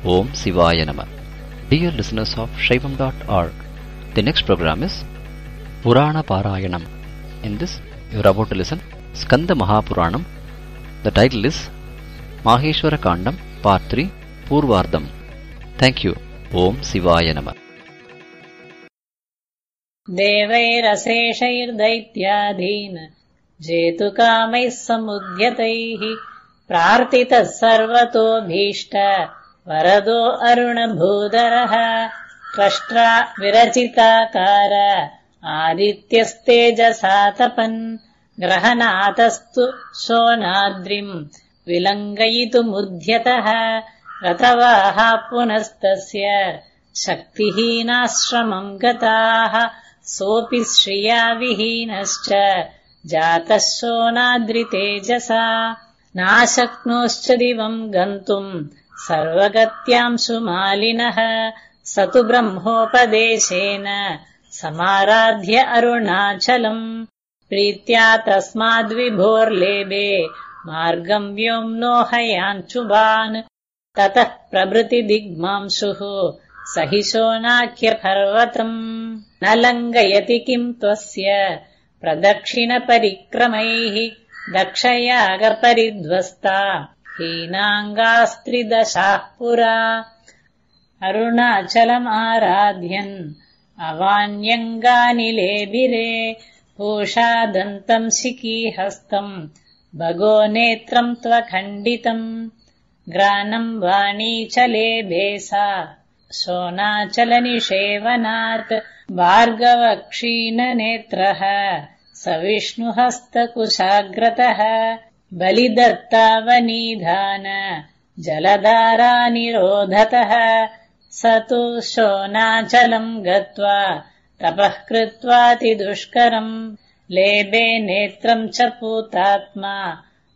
Om Shivaya Namah. Dear listeners of Shaivam.org, the next program is Purana Parayanam. In this, you are about to listen Skanda Mahapuranam. The title is Maheshwara Kandam, Part 3, Purvardham. Thank you. Om Shivaya Namah. देवैरशेषैर्दैत्याधीन जेतुकामैः समुद्यतैः प्रार्थितः सर्वतोऽभीष्ट वरदो अरुणभूधरः त्वष्ट्रा विरचिताकार आदित्यस्तेजसातपन् ग्रहनातस्तु शोनाद्रिम् विलङ्घयितुमुद्यतः रतवाहा पुनस्तस्य शक्तिहीनाश्रमम् गताः सोऽपि श्रिया विहीनश्च जातः शोनाद्रितेजसा नाशक्नोश्च दिवम् गन्तुम् सर्वगत्यांशु मालिनः स तु ब्रह्मोपदेशेन समाराध्य अरुणाचलम् प्रीत्या तस्माद्विभोर्लेभे मार्गम् व्योम्नोहयाञ्चुभान् ततः प्रभृति दिग्मांशुः स हि शोनाख्यपर्वतम् न लङ्घयति किम् त्वस्य प्रदक्षिणपरिक्रमैः दक्षयागपरिध्वस्ता हीनाङ्गास्त्रिदशाः पुरा अरुणाचलमाराध्यन् अवान्यङ्गानिलेभिरे पूषादन्तम् शिखीहस्तम् भगो नेत्रम् त्वखण्डितम् ग्रानम् वाणीचलेभेसा शोनाचलनिषेवनात् भार्गवक्षीणनेत्रः स विष्णुहस्तकुशाग्रतः बलिदत्तावनिधान जलधारानिरोधतः स तु शोनाचलम् गत्वा तपः कृत्वातिदुष्करम् लेभे नेत्रम् च पूतात्मा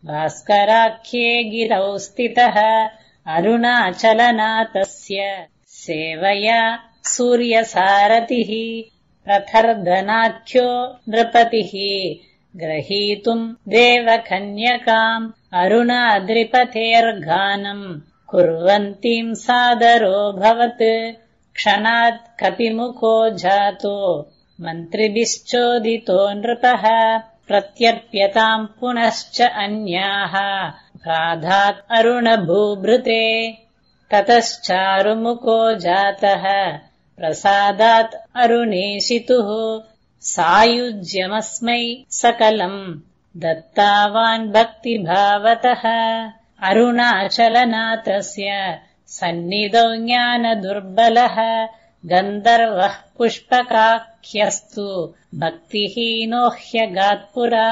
भास्कराख्ये गिरौ स्थितः अरुणाचलनाथस्य सेवया सूर्यसारथिः प्रथर्दनाख्यो नृपतिः ग्रहीतुम् देवकन्यकाम् अरुणाद्रिपतेर्गानम् कुर्वन्तीम् सादरोऽभवत् क्षणात् कपिमुखो जातो मन्त्रिभिश्चोदितो नृपः प्रत्यर्प्यताम् पुनश्च अन्याः प्राधात् अरुणभूभृते ततश्चारुमुखो जातः प्रसादात् अरुणेशितुः सायुज्यमस्मै सकलम् दत्तावान् भक्तिभावतः अरुणाचलनाथस्य सन्निधौ ज्ञानदुर्बलः गन्धर्वः पुष्पकाख्यस्तु भक्तिहीनो ह्यगात्पुरा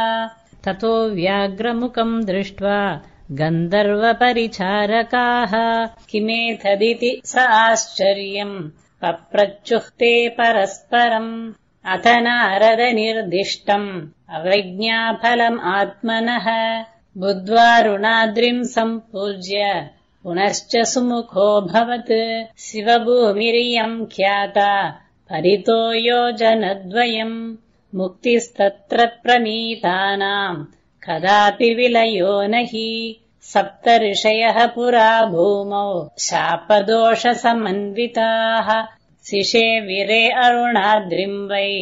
ततो व्याघ्रमुखम् दृष्ट्वा गन्धर्वपरिचारकाः किमेतदिति स आश्चर्यम् पप्रच्युः परस्परम् अथ नारदनिर्दिष्टम् अवज्ञाफलम् आत्मनः बुद्ध्वारुणाद्रिम् सम्पूज्य पुनश्च सुमुखोऽभवत् शिवभूमिरियम् ख्याता परितो योजनद्वयम् मुक्तिस्तत्र प्रणीतानाम् कदापि विलयो न हि सप्तऋषयः पुरा भूमौ शापदोषसमन्विताः शिशेविरे अरुणाद्रिम् वै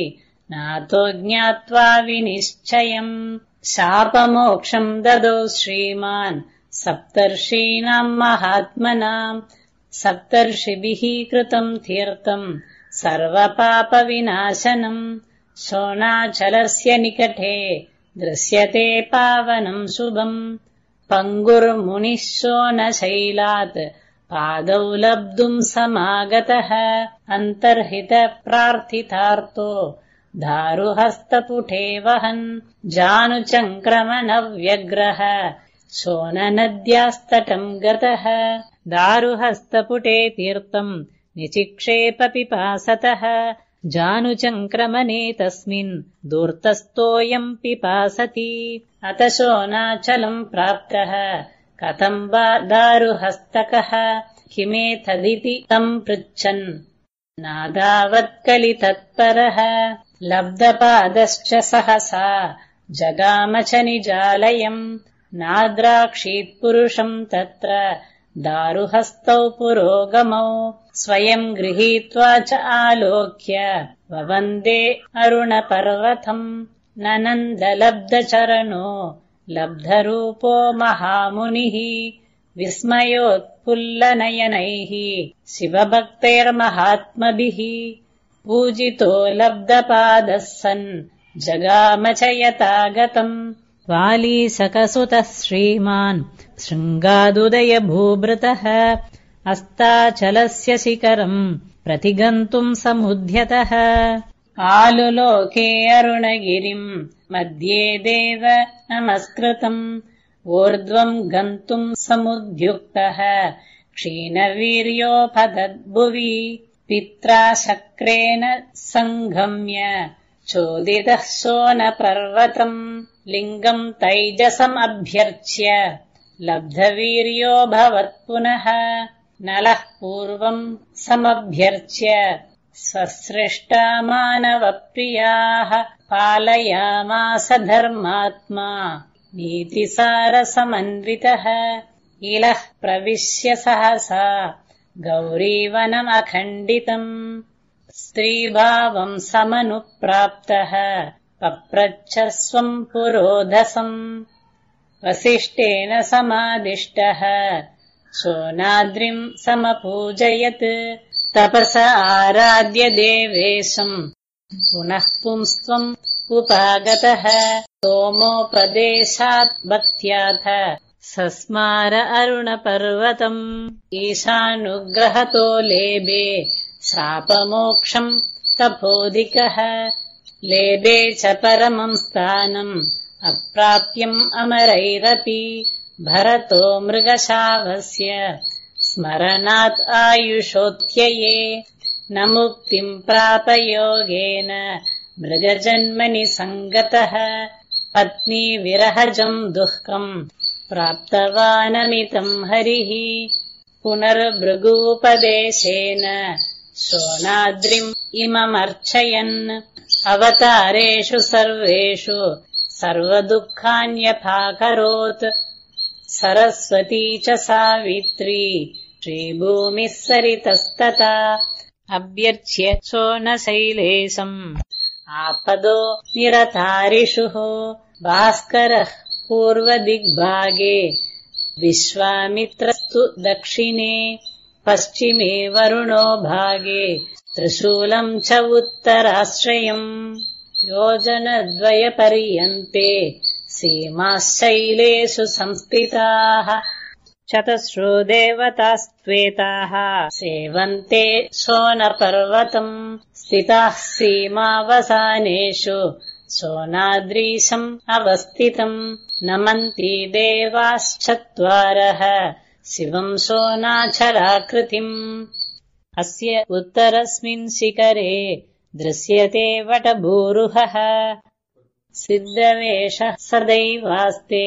नातो ज्ञात्वा विनिश्चयम् शापमोक्षम् ददौ श्रीमान् सप्तर्षीणाम् महात्मनाम् सप्तर्षिभिः कृतम् तीर्थम् सर्वपापविनाशनम् शोणाचलस्य निकटे दृश्यते पावनम् शुभम् पङ्गुर्मुनिः शोणशैलात् पादौ लब्धुम् समागतः अन्तर्हितप्रार्थितार्तो दारुहस्तपुटे वहन् जानुचङ्क्रमणव्यग्रः शोणनद्यास्तटम् गतः दारुहस्तपुटे तीर्थम् निचिक्षेप पिपासतः जानुचङ्क्रमणे तस्मिन् दूर्तस्थोऽयम् पिपासति अथ शोणाचलम् प्राप्तः कथम् वा दारुहस्तकः किमेतदिति तम् पृच्छन् नादावत्कलितत्परः लब्धपादश्च सहसा जगाम च निजालयम् नाद्राक्षीत्पुरुषम् तत्र दारुहस्तौ पुरोगमौ स्वयं गृहीत्वा च आलोक्य ववन्दे अरुणपर्वतम् ननन्दलब्धचरणो लब्धरूपो महामुनिः विस्मयोत्फुल्लनयनैः शिवभक्तैर्महात्मभिः पूजितो लब्धपादः सन् जगाम च यथागतम् वालीसकसुतः श्रीमान् शृङ्गादुदयभूभृतः अस्ताचलस्य शिखरम् प्रतिगन्तुम् समुद्यतः आलुलोके अरुणगिरिम् मध्ये देव नमस्कृतम् ऊर्ध्वम् गन्तुम् समुद्युक्तः क्षीणवीर्योपदद्भुवि पित्रा शक्रेण सङ्गम्य चोदितः सोनपर्वतम् लिङ्गम् तैजसमभ्यर्च्य लब्धवीर्यो भवत्पुनः नलः पूर्वम् समभ्यर्च्य स्वसृष्टा मानवप्रियाः पालयामास धर्मात्मा नीतिसारसमन्वितः इलः प्रविश्य सहसा गौरीवनमखण्डितम् स्त्रीभावम् समनुप्राप्तः पप्रच्छ स्वम् पुरोधसम् वसिष्ठेन समादिष्टः सोनाद्रिम् समपूजयत् तपस आराध्य देवेशम् पुनः पुंस्त्वम् उपागतः सोमोपदेशात् भक्त्याथ सस्मार अरुणपर्वतम् ईशानुग्रहतो लेभे शापमोक्षम् तपोधिकः लेभे च परमम् स्थानम् अप्राप्यम् अमरैरपि भरतो मृगशावस्य स्मरणात् आयुषोऽत्यये न मुक्तिम् प्रापयोगेन मृगजन्मनि सङ्गतः पत्नी विरहजम् दुःखम् प्राप्तवानमितम् हरिः पुनर्भृगूपदेशेन सोनाद्रिम् इममर्चयन् अवतारेषु सर्वेषु सर्वदुःखान्यपाकरोत् सरस्वती च सावित्री श्रीभूमिः सरितस्तथा अभ्यर्च्य सोनशैलेशम् आपदो निरतारिषुः भास्करः पूर्वदिग्भागे विश्वामित्रस्तु दक्षिणे पश्चिमे वरुणो भागे त्रिशूलम् च उत्तराश्रयम् योजनद्वयपर्यन्ते सीमाशैलेषु संस्थिताः चतस्रो देवतास्त्वेताः सेवन्ते सोनपर्वतम् स्थिताः सीमावसानेषु सोनाद्रीशम् अवस्थितम् नमन्ति देवाश्चत्वारः शिवम् सोनाचलाकृतिम् अस्य उत्तरस्मिन् शिखरे दृश्यते वटभूरुहः सिद्धवेषः सदैवास्ते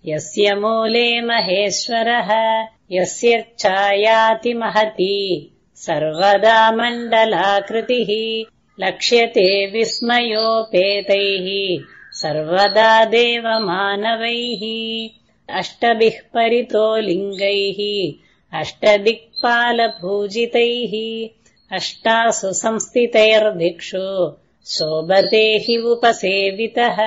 यस्य मूले महेश्वरः यस्य छायाति महती सर्वदा मण्डलाकृतिः लक्ष्यते विस्मयोपेतैः सर्वदा देवमानवैः अष्टभिः परितो लिङ्गैः अष्टदिक्पालपूजितैः अष्टासु संस्थितैर्दिक्षु शोभते हि उपसेवितः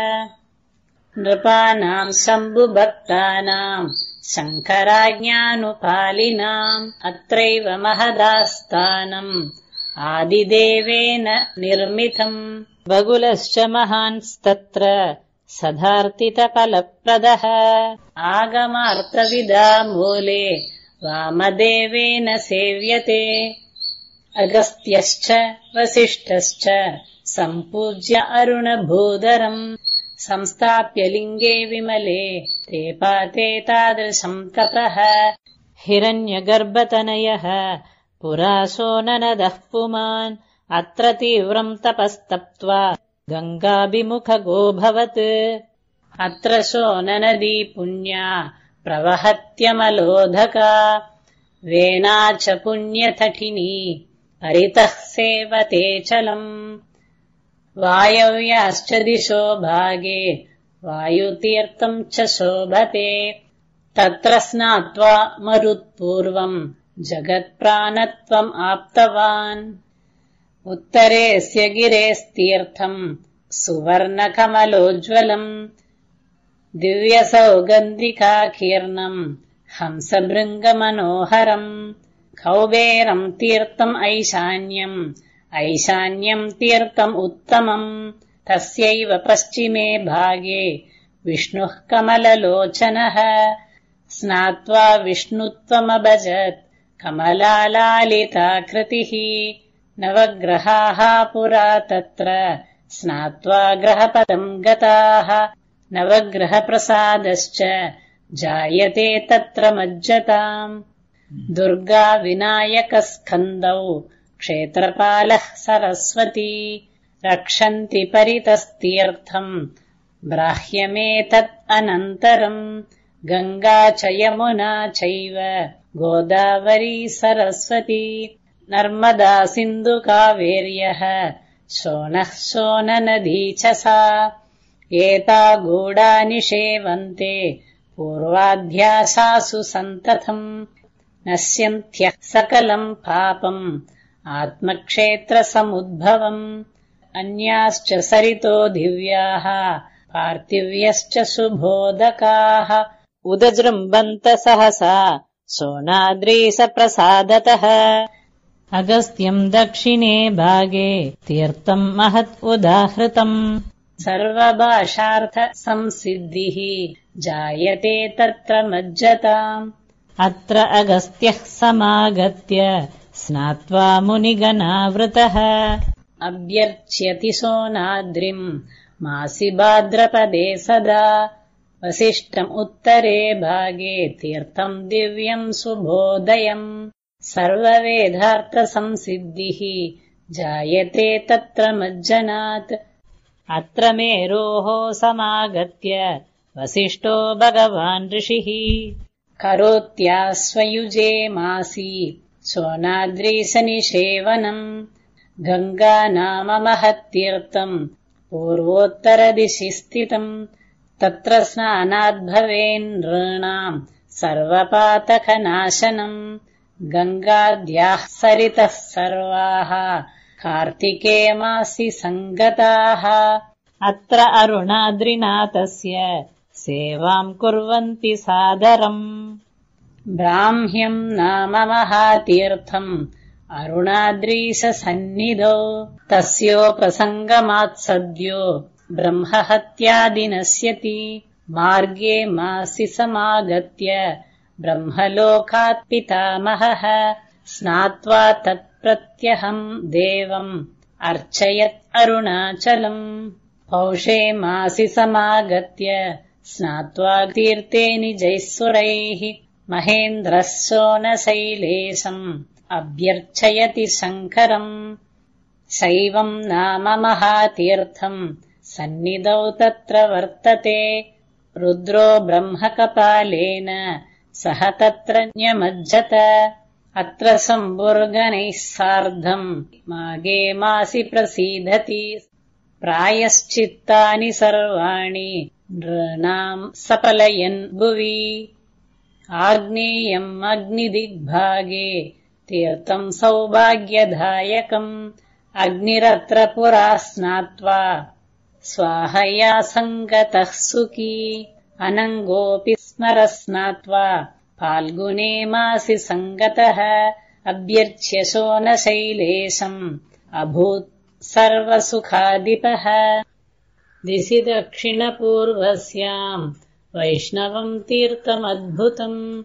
नृपाणाम् शम्भुभक्तानाम् शङ्कराज्ञानुपालिनाम् अत्रैव महदास्थानम् आदिदेवेन निर्मितम् बगुलश्च महांस्तत्र सदार्तितफलप्रदः आगमार्थविदा मूले वामदेवेन सेव्यते अगस्त्यश्च वसिष्ठश्च सम्पूज्य अरुणभूधरम् संस्थाप्य लिङ्गे विमले ते पाते तादृशम् तपः हिरण्यगर्भतनयः पुरा सोननदः पुमान् अत्र तीव्रम् तपस्तप्त्वा गङ्गाभिमुखगोऽभवत् अत्र सोननदी पुण्या प्रवहत्यमलोधका वेना च पुण्यतटिनी परितः सेवते चलम् वायव्याश्च दिशो भागे वायुतीर्थम् च शोभते तत्र स्नात्वा मरुत्पूर्वम् जगत्प्राणत्वम् आप्तवान्। उत्तरेऽस्य गिरेस्तीर्थम् सुवर्णकमलोज्ज्वलम् दिव्यसौगन्धिकाकीर्णम् हंसभृङ्गमनोहरम्। कौबेरम् तीर्थम् ऐशान्यम् तीर्थम् उत्तमम्। तस्यैव पश्चिमे भागे विष्णुः कमललोचनः। स्नात्वा विष्णुत्वमभजत् कमलालालिताकृतिः। नवग्रहाः पुरा तत्र स्नात्वा ग्रहपदम् गताः। नवग्रहप्रसादश्च जायते तत्र मज्जताम्। दुर्गा विनायकस्कन्दौ क्षेत्रपालः सरस्वती। रक्षन्ति परितस्तीर्थम् ब्राह्यमेतत् अनन्तरम्। गङ्गा च यमुना चैव गोदावरी सरस्वती। नर्मदा सिन्धुकावेर्यः शोणः शोणनदी च सा। एता गूढानि सेवन्ते पूर्वाध्यासासु सन्ततम्। नश्यन्त्यः सकलम् पापम् आत्मक्षेत्रसमुद्भवम्। अन्याश्च सरितो दिव्याः पार्थिव्यश्च सुबोधकाः। उदजृम्बन्त सहसा सोनाद्रीसप्रसादतः। अगस्त्यम् दक्षिणे भागे तीर्थम् महत् उदाहृतम्। सर्वभाषार्थसंसिद्धिः जायते तत्र मज्जताम्। अत्र अगस्त्यः समागत्य स्नात्वा मुनिगणावृतः। अभ्यर्च्यति सोनाद्रिम् मासि भाद्रपदे सदा। वसिष्ठम् उत्तरे भागे तीर्थम् दिव्यम् सुबोधयम्। सर्ववेदार्थसंसिद्धिः जायते तत्र मज्जनात्। अत्र मेरोः समागत्य वसिष्ठो भगवान् ऋषिः। करोत्यास्वयुजे मासि सोनाद्रीसनिषेवनम्। गङ्गा नाम महत्तीर्थम् पूर्वोत्तरदिशि स्थितम्। तत्र स्नानाद्भवेन् नॄणाम् सर्वपातकनाशनम्। गङ्गाद्याः सरितः सर्वाः कार्तिके मासि सङ्गताः। अत्र अरुणाद्रिनाथस्य सेवाम् कुर्वन्ति सादरम्। ब्राह्म्यम् नाम महातीर्थम् अरुणाद्रीससन्निधौ। तस्योपसङ्गमात्सद्यो ब्रह्महत्यादि नश्यति। मार्गे मासि समागत्य ब्रह्मलोकात् पितामहः। स्नात्वा तत्प्रत्यहम् देवम् अर्चयत् अरुणाचलम्। पौषे मासि समागत्य स्नात्वा तीर्थे निजैः महेन्द्रः सोनशैलेशम् अभ्यर्चयति शङ्करम्। शैवम् नाम महातीर्थम् सन्निधौ तत्र वर्तते। रुद्रो ब्रह्मकपालेन सह तत्र न्यमज्जत। अत्र सम्बुर्गणैः सार्धम् मागे मासि प्रसीदति। प्रायश्चित्तानि सर्वाणि नॄणाम् सपलयन् भुवि। आग्नेयम् अग्निदिग्भागे तीर्थम् सौभाग्यदायकम्। अग्निरत्र पुरा स्नात्वा स्वाहया सङ्गतः सुखी। अनङ्गोऽपि स्मर स्नात्वा फाल्गुने मासि सङ्गतः। अभ्यर्च्य शोणशैलेशम् अभूत् सर्वसुखाधिपः। दिशि दक्षिणपूर्वस्याम् वैष्णवम् तीर्थमद्भुतम्।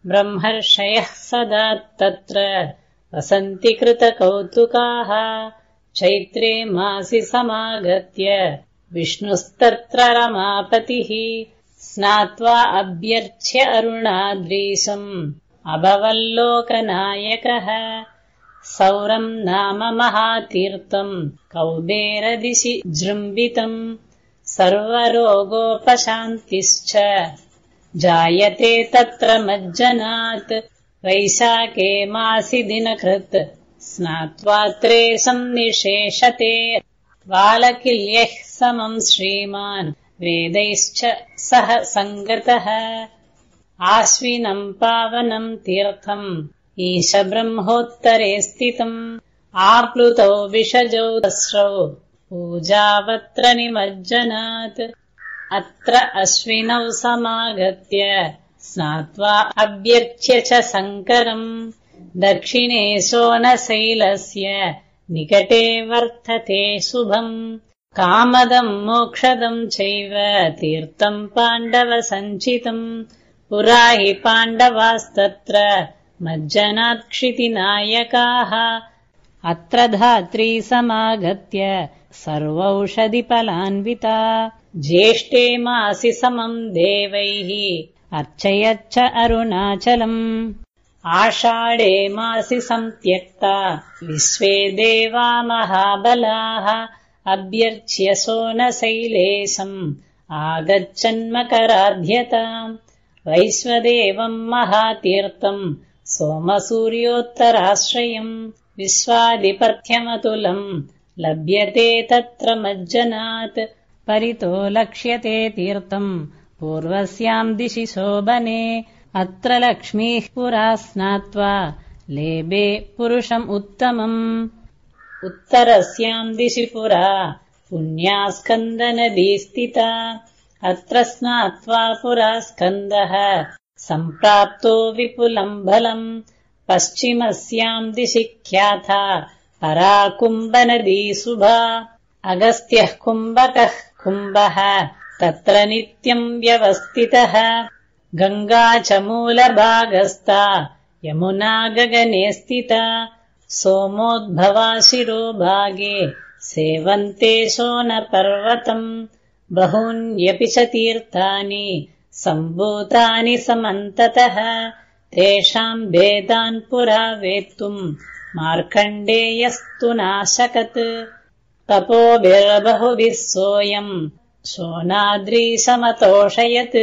ब्रह्मर्षयः सदा तत्र वसन्ति कृतकौतुकाः। चैत्रे मासि समागत्य विष्णुस्तत्र रमापतिः। स्नात्वा अभ्यर्च्य अरुणाद्रीशम् अभवल्लोकनायकः। सौरम् नाम महातीर्थम् कौबेरदिशि जृम्बितम्। सर्वरोगोपशान्तिश्च जायते तत्र मज्जनात्। वैशाखे मासि दिनकृत् स्नात्वात्रे सन्निशेषते। बालकिल्यैः समम् श्रीमान् वेदैश्च सह सङ्गतः। आश्विनम् पावनम् तीर्थम् ईशब्रह्मोत्तरे स्थितम् आप्लुतौ विषजौ तस्रौ पूजावत्र निमज्जनात् अत्र अश्विनौ समागत्य स्नात्वा अभ्यर्च्य च शङ्करम् दक्षिणे सोनशैलस्य निकटे वर्तते शुभम् कामदम् मोक्षदम् चैव तीर्थम् पाण्डवसञ्चितम् पुरा हि पाण्डवास्तत्र मज्जनात्क्षितिनायकाः अत्र धात्री समागत्य सर्वौषधिफलान्विता ज्येष्ठे मासि समम् देवैः अर्चयच्च अरुणाचलम् आषाढे मासि सम्त्यक्ता विश्वे देवा महाबलाः अभ्यर्च्य सोनशैलेशम् आगच्छन्मकराध्यताम् वैश्वदेवम् महातीर्थम् सोमसूर्योत्तराश्रयम् विश्वाधिपत्यमतुलम् लभ्यते तत्र मज्जनात् परितो लक्ष्यते तीर्थम् पूर्वस्याम् दिशि शोभने अत्र लक्ष्मीः पुरा स्नात्वा लेभे पुरुषम् उत्तमम् उत्तरस्याम् दिशि पुरा पुण्या स्कन्दनदी स्थिता अत्र स्नात्वा पुरा स्कन्दः सम्प्राप्तो विपुलम् बलम् पश्चिमस्याम् दिशि ख्याता परा कुम्भनदी शुभा अगस्त्यः कुम्भकः कुम्भः तत्र नित्यम् व्यवस्थितः गङ्गा च मूलभागस्था यमुना गगने स्थिता सोमोद्भवा शिरोभागे सेवन्ते शोणपर्वतम् बहून्यपि च तीर्थानि सम्भूतानि समन्ततः तेषाम् भेदान् पुरा वेत्तुम् मार्कण्डेयस्तु नाशकत् तपोभिर्बहुभिः सोऽयम् शोणाद्रीशमतोषयत्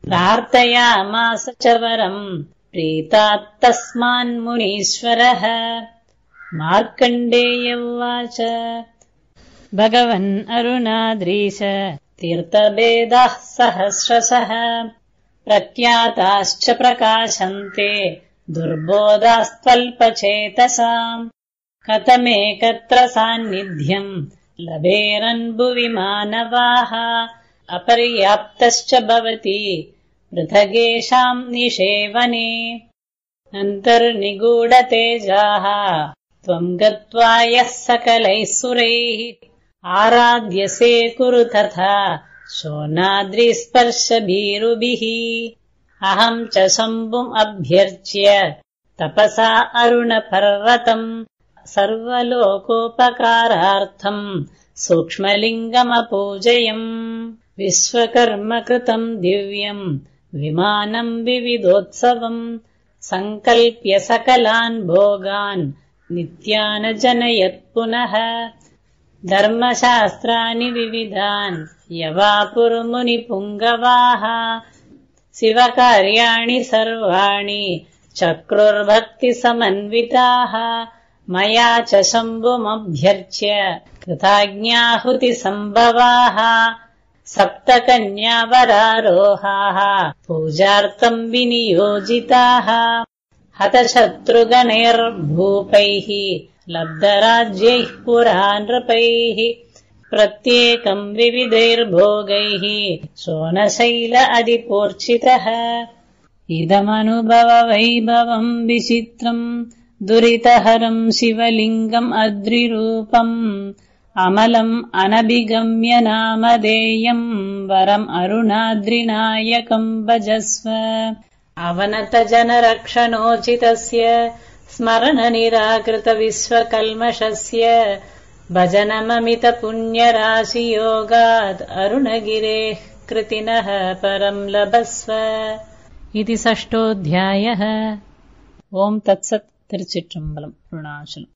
प्रार्थयामास च वरम् प्रीतात्तस्मान्मुनीश्वरः मार्कण्डेय उवाच भगवन् अरुणाद्रीश तीर्थभेदाः सहस्रशः प्रख्याताश्च प्रकाशन्ते दुर्बोधास्त्वल्पचेतसाम् कथमेकत्र सान्निध्यम् लभेरन्भुवि मानवाः अपर्याप्तश्च भवति पृथगेषाम् निषेवने अन्तर्निगूढतेजाः त्वम् गत्वा यः सकलैः सुरैः आराध्यसे कुरु तथा शोणाद्रिस्पर्शभीरुभिः अहम् च शम्भुम् अभ्यर्च्य तपसा अरुणपर्वतम् सर्वलोकोपकारार्थम् सूक्ष्मलिङ्गमपूजयम् विश्वकर्मकृतम् दिव्यम् विमानम् विविधोत्सवम् सङ्कल्प्य सकलान् भोगान् नित्यानजनयत् पुनः धर्मशास्त्राणि विविधान् यवापुर्मुनिपुङ्गवाः शिवकार्याणि सर्वाणि चक्रुर्भक्तिसमन्विताः मया च शम्भुमभ्यर्च्य कृताज्ञाहुतिसम्भवाः सप्तकन्यावरारोहाः पूजार्थम् विनियोजिताः हतशत्रुगणैर्भूपैः लब्धराज्यैः पुरा नृपैः प्रत्येकम् विविधैर्भोगैः शोणशैल अधिपूर्चितः इदमनुभववैभवम् विचित्रम् दुरितहरम् शिवलिङ्गम् अद्रिरूपम् अमलम् अनभिगम्य नामधेयम् वरम् अरुणाद्रिनायकम् भजस्व अवनतजनरक्षणोचितस्य स्मरणनिराकृतविश्वकल्मषस्य भजनममितपुण्यराशियोगात् अरुणगिरेः कृतिनः परम् लभस्व इति 6ोऽध्यायः। ओम् तत्सत्। तिरुचिट्टम्बलम् अरुणाचलम्।